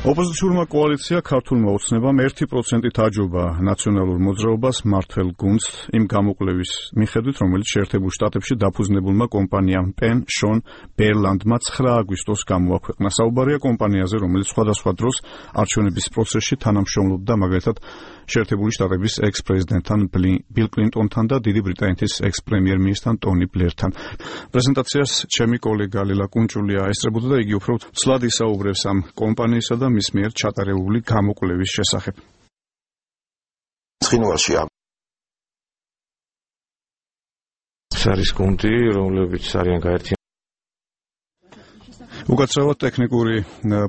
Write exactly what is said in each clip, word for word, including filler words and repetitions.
ოპოზიციურმა კოალიცია ქართულმა ოცნებამ ერთი პროცენტით აჯობა ნაციონალურ მოძრაობას მართლ გუნდს იმ გამოკვლევის მიხედვით, რომელიც შეერთებულ შტატებში დაფუძნებულმა კომპანიამ პენ შონ ბერლანდმა ცხრა აგვისტოს გამოაქვეყნა. საუბარია კომპანიაზე, რომელიც სხვადასხვა დროს არჩევნების პროცესში თანამშრომლობდა, მაგალითად შეერთებული შტატების ექს-პრეზიდენტთან ბილ კლინტონთან და დიდი ბრიტანეთის ექს-პრემიერ-მინისტრთან ტონი ბლერთან. პრეზენტაციას ჩემი კოლეგა ლელა კუნჭულია ესწრებოდა და იგი უფრო ცვლად ისაუბრებს ამ კომპანიისა და მის მიერ ჩატარებული გამოკვლევის შესახებ. ცხინვალშია არის გუნდი, რომლებიც არიან გაერთიანებული. უკაცრავად ტექნიკური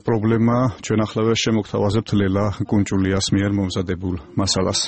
პრობლემა ჩვენ ახლა შემოგთავაზებთ ლელა კუნჭულიას მიერ მომზადებულ მასალას.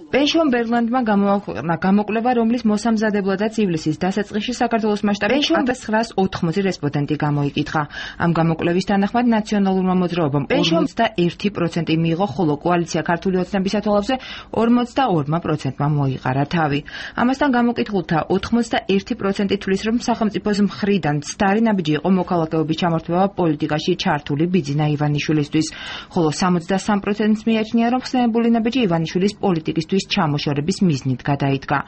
პენშონ ბერლანდმა გამოაქვეყნა გამოკვლევა, რომლის მოსამზადებლადაც ივლისის დასაწყისში საქართველოს მასშტაბით ათას ოთხმოცი რესპონდენტი გამოიკითხა. ამ გამოკვლევის თანახმად ნაციონალურმა მოძრაობამ ორმოცდაერთი პროცენტი მიიღო, ხოლო კოალიცია ქართული ოცნების ათვალებზე ორმოცდაორ პროცენტმა მოიყარა თავი. ამასთან გამოკითხულთა ოთხმოცდაერთი პროცენტი თვლის, რომ სახელმწიფოს მხრიდან ცდარი ნაბიჯი იყო მოქალაქეობის ჩამორთმევა პოლიტიკაში ჩართული ბიძინა ივანიშვილისთვის, ხოლო სამოცდასამ პროცენტს მიაჩნია, რომ ხსენებული ნაბიჯი ივანიშვილის პოლიტიკისთვის ჩამოშორების მიზნით გადაიდგა.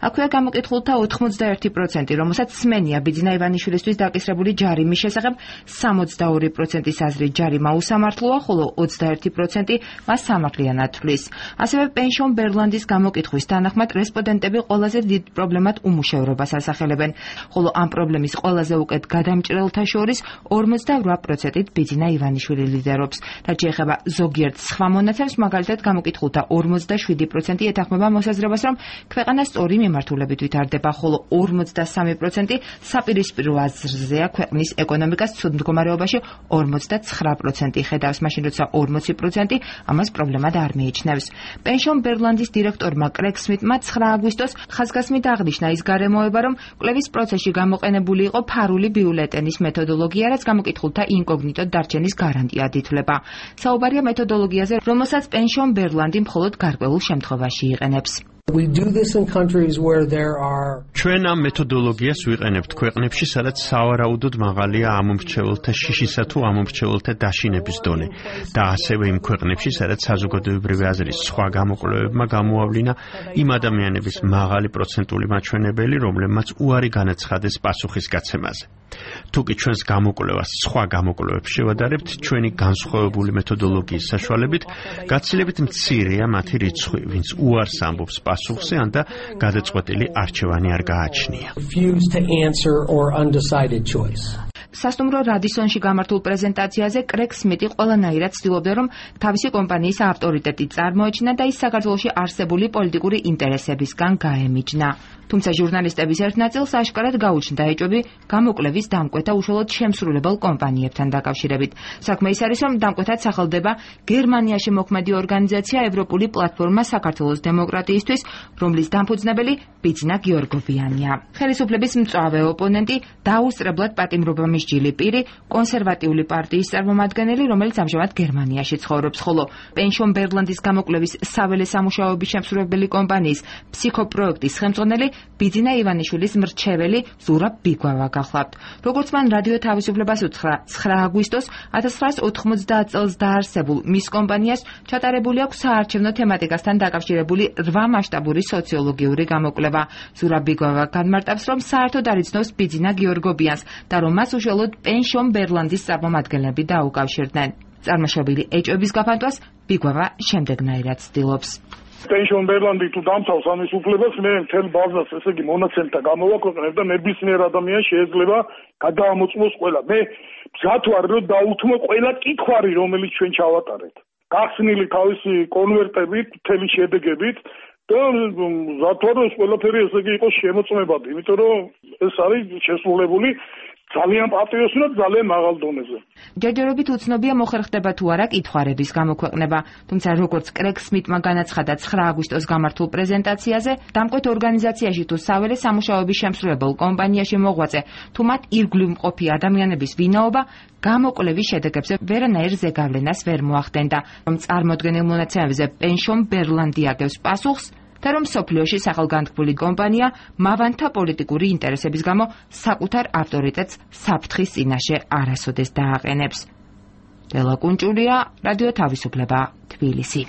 აქვეა გამოკითხულთა ოთხმოცდაერთი პროცენტი, რომელსაც სმენია ბიძინა ივანიშვილისთვის დაკისრებული ჯარიმის შესახებ, სამოცდაორი პროცენტის აზრით ჯარიმა უსამართლოა, ხოლო ოცდაერთი პროცენტი მას სამართლიანად თვლის. ასევე პენშონ ბერლანდის გამოკითხვის თანახმად რესპონდენტები ყველაზე დიდ პრობლემად უმუშევრობას ასახელებენ, ხოლო ამ პრობლემის ყველაზე უკეთ გადამჭრელთა შორის ორმოცდაორი პროცენტით ბიძინა ივანიშვილი ლიდერობს. რაც შეეხება ზოგიერთ სხვა მონაცემს, მაგალითად გამოკითხულთა ორმოცდაშვიდი პროცენტი ეთანხმება მოსაზრებას, რომ ქვეყანა სწორი მიმართულებით ვითარდება, ხოლო ორმოცდასამი პროცენტი საპირისპირო აზრზეა ქვეყნის ეკონომიკას ცუდ მდგომარეობაში ორმოცდაცხრა პროცენტი ხედავს, მაშინ როცა ორმოცი პროცენტი ამას პრობლემად არ მიიჩნევს. პენშონ ბერლანდის დირექტორმა კრეგ სმიტმა ცხრა აგვისტოს ხაზგასმით აღნიშნა ის გარემოება, რომ კვლევის პროცესში გამოყენებული იყო ფარული ბიულეტენის მეთოდოლოგია, რაც გამოკითხულთა ინკოგნიტო დარჩენის გარანტიად ითვლება. საუბარია მეთოდოლოგიაზე, რომელსაც პენშონ ბერლანდი მხოლოდ გარკვეულ შემთხვევაში იყენებს. ჩვენ ამ მეთოდოლოგიას ვიყენებთ ქვეყნებში, სადაც სავარაუდოდ მაღალია ამომრჩეველთა შიშისა თუ ამომრჩეველთა დაშინების დონე და ასევე იმ ქვეყნებში, სადაც საზოგადოებრივი აზრის სხვა გამოკვლევებმა გამოავლინა იმ ადამიანების მაღალი პროცენტული მაჩვენებელი, რომლებმაც უარი განაცხადეს პასუხის გაცემაზე. თუკი ჩვენს გამოკვლევას სხვა გამოკვლევებს შევადარებთ, ჩვენი განსხვავებული მეთოდოლოგიის საშუალებით გაცილებით მცირეა მათი რიცხვი, ვინც უარს ამბობს პასუხზე ან და გადაწყვეტილი არჩევანი არ გააჩნია. სასტუმრო რადისონში გამართულ პრეზენტაციაზე კრეგ სმიტი ყველანაირად ცდილობდა, რომ თავისი კომპანიის ავტორიტეტი წარმოეჩინა და ის საქართველოში არსებული პოლიტიკური ინტერესებისგან გაემიჯნა. თუმცა ჟურნალისტების ერთ ნაწილს აშკარად გაუჩნდა ეჭვები გამოკვლევის დამკვეთა უშუალოდ შემსრულებელ კომპანიებთან დაკავშირებით. საქმე ის არის, რომ დამკვეთად სახელდება გერმანიაში მოქმედი ორგანიზაცია ევროპული პლატფორმა საქართველოს დემოკრატიისთვის, რომლის დამფუძნებელი ბიძინა გიორგოვიანია. ხელისუფლების მწვავე ოპონენტი დაუსწრებლად პატიმრობა მსჯილი პირი, კონსერვატიული პარტიის წარმომადგენელი, რომელიც ამჟამად გერმანიაში ცხოვრობს, ხოლო პენშონ ბერლანდის გამოკვლევის საველე სამუშაოების შემსრულებელი კომპანიის ფსიქოპროექტის ხელმძღვანელი ბიძინა ივანიშვილის მრჩეველი ზურაბ ბიგვავა გახლავთ. როგორც მან რადიო თავისუფლებას უთხრა, ცხრა აგვისტოს ათას ცხრაასი ოთხმოცდაათ წელს დაარსებულ მის კომპანიას ჩატარებული აქვს საარჩევნო თემატიკასთან დაკავშირებული რვა მასშტაბური სოციოლოგიური გამოკვლევა. ზურაბ ბიგვავა განმარტავს, რომ საერთოდ არ იცნობს ბიძინა გიორგობიანს და რომ მას უშუალოდ პენშონ ბერლანდის წარმომადგენლები დაუკავშირდნენ. წარმოშობილი ეჭვების გაფანტვას ბიგვავა შემდეგნაირად ცდილობს. პენშონ ბერლანდი თუ დამცავს ამის უფლებას, მე მთელ ბაზას, ესე იგი მონაცემთა გამოვაქვეყნებ და ნებისმიერ ადამიანს შეიძლება გადაამოწმოს ყველა. მე მზად ვარ, რომ დაუთმო ყველა კითხვარი, რომელიც ჩვენ ჩავატარეთ. გახსნილი თავისი კონვერტებით, მთელი შედეგებით და მზად ვარ, რომ ყველაფერი ესე იგი იყოს შემოწმებადი, იმიტომ რომ ეს არის შესრულებული ძალიან პატრიოტი და ძალიან მაღალ დონეზე. ჯერჯერობით უცნობია მოხერხდება თუ არა კითხვარების გამოქვეყნება, თუმცა როგორც კრეგ სმიტმა განაცხადა ცხრა აგვისტოს გამართულ პრეზენტაციაზე, დამკვეთ ორგანიზაციაში თუ საველე სამუშაოების შემსრულებელ კომპანიაში მოღვაწე, თუ მათ ირგვლივ მყოფი ადამიანების ვინაობა გამოკვლევის შედეგებზე ვერანაირ ზეგავლენას ვერ მოახდენდა, რომ წარმოდგენილ მონაცემებზე პენშონ ბერლანდი აგებს პასუხს და რომ სოფლიოში სახელგანთქმული კომპანია მავანთა პოლიტიკური ინტერესების გამო საკუთარ ავტორიტეტს საფრთხის წინაშე არასოდეს დააყენებს. ლელა კუნჭულია, რადიო თავისუფლება, თბილისი.